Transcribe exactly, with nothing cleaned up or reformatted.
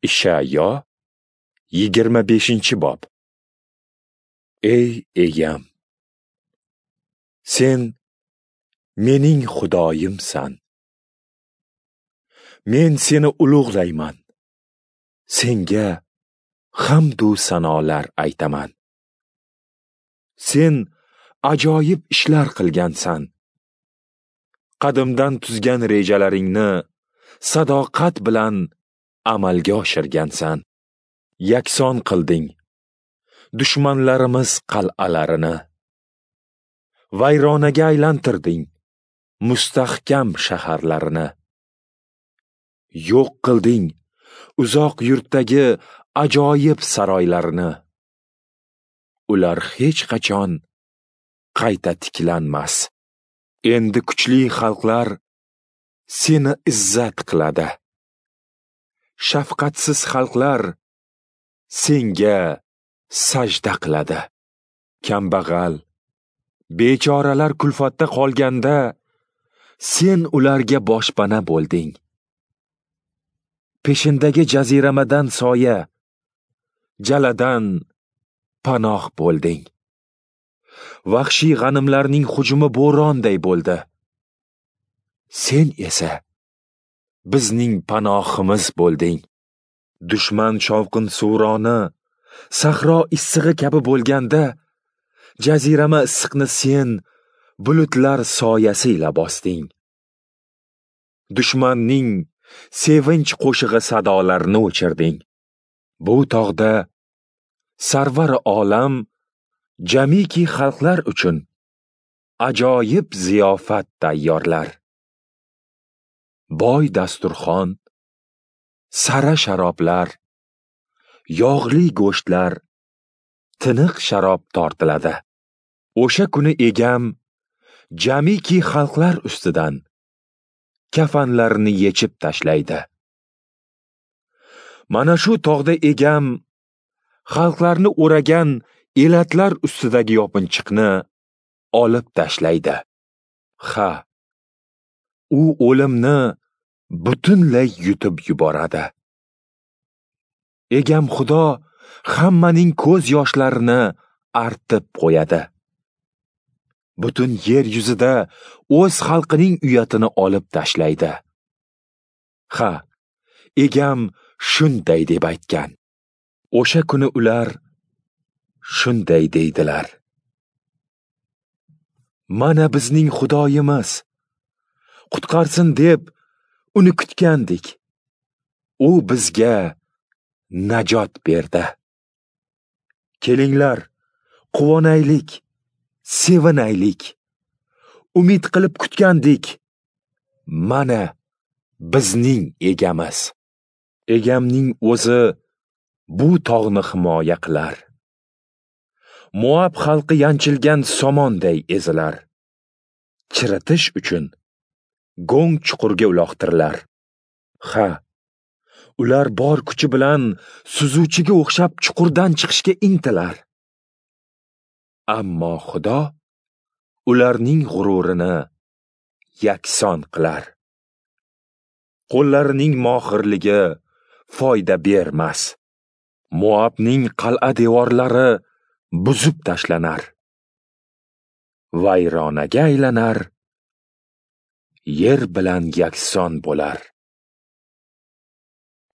Ishayo yigirma beshinchi bob. Ey Egam, sen mening Xudoyimsan. Men seni ulug'layman. Senga hamdu sanolar aytaman. Sen ajoyib ishlar qilgansan. Qadimdan tuzgan rejalaringni sadoqat bilan amalga oshirgansan. Yakson qilding dushmanlarimiz qal'alarini. Vayronaga aylantirding mustahkam shaharlarini. Yo'q qilding uzoq yurtdagi ajoyib saroylarni. Ular hech qachon qayta tiklanmas. Endi kuchli xalqlar seni izzat qiladi. Shafqatsiz xalqlar senga sajda qiladi. Kambag'al, bechoralar kulfatda qolganda sen ularga boshpana bo'lding. Peshindagi jaziramadan soya, jaladan panoh bo'lding. Vahshiy g'animlarning hujumi bo'ronday bo'ldi. Sen esa bizning panohimiz bo'lding. Dushman shovqin suroni sahro issig'i kabi bo'lganda, jazirama issiqni sen bulutlar soyasi ila bosding. Dushmanning sevinch qo'shig'i sadolarini o'chirding. Bu tog'da sarvar olam jamiki xalqlar uchun ajoyib ziyofat tayyorlar. Boy dasturxon, sara sharoblar, yog'li go'shtlar, tiniq sharob tortiladi. O'sha kuni Egam jamiki xalqlar ustidan kafanlarini yechib tashlaydi. Mana shu tog'da Egam xalqlarni o'ragan elatlar ustidagi yopinchiqni olib tashlaydi. Ha, u o'limni butunlay yutib yuboradi. Egam Xudo hammaning ko'z yoshlarini artib qo'yadi. Butun yer yuzida o'z xalqining uyatini olib tashlaydi. Ha, Egam shunday deb aytgan. O'sha kuni ular shunday deydilar: Mana bizning Xudoyimiz, qutqarsin deb uni kutgandik. U bizga najot berdi. Kelinglar, quvonaylik, sevinaylik. Umid qilib kutgandik. Mana bizning Egamiz. Egamning o'zi bu tog'ni himoya qilar. Moab xalqi yanchilgan somonday ezilar. Chiritish uchun go'ng chuqurga uloqtirilar. Ha, ular bor kuchi bilan suzuvchiga o'xshab chuqurdan chiqishga intilar. Ammo Xudo ularning g'ururini yakson qilar. Qo'llarining mohirligi foyda bermas. Moabning qal'a devorlari buzib tashlanar. Vayronaga aylanar, yer bilan yakson bo'lar.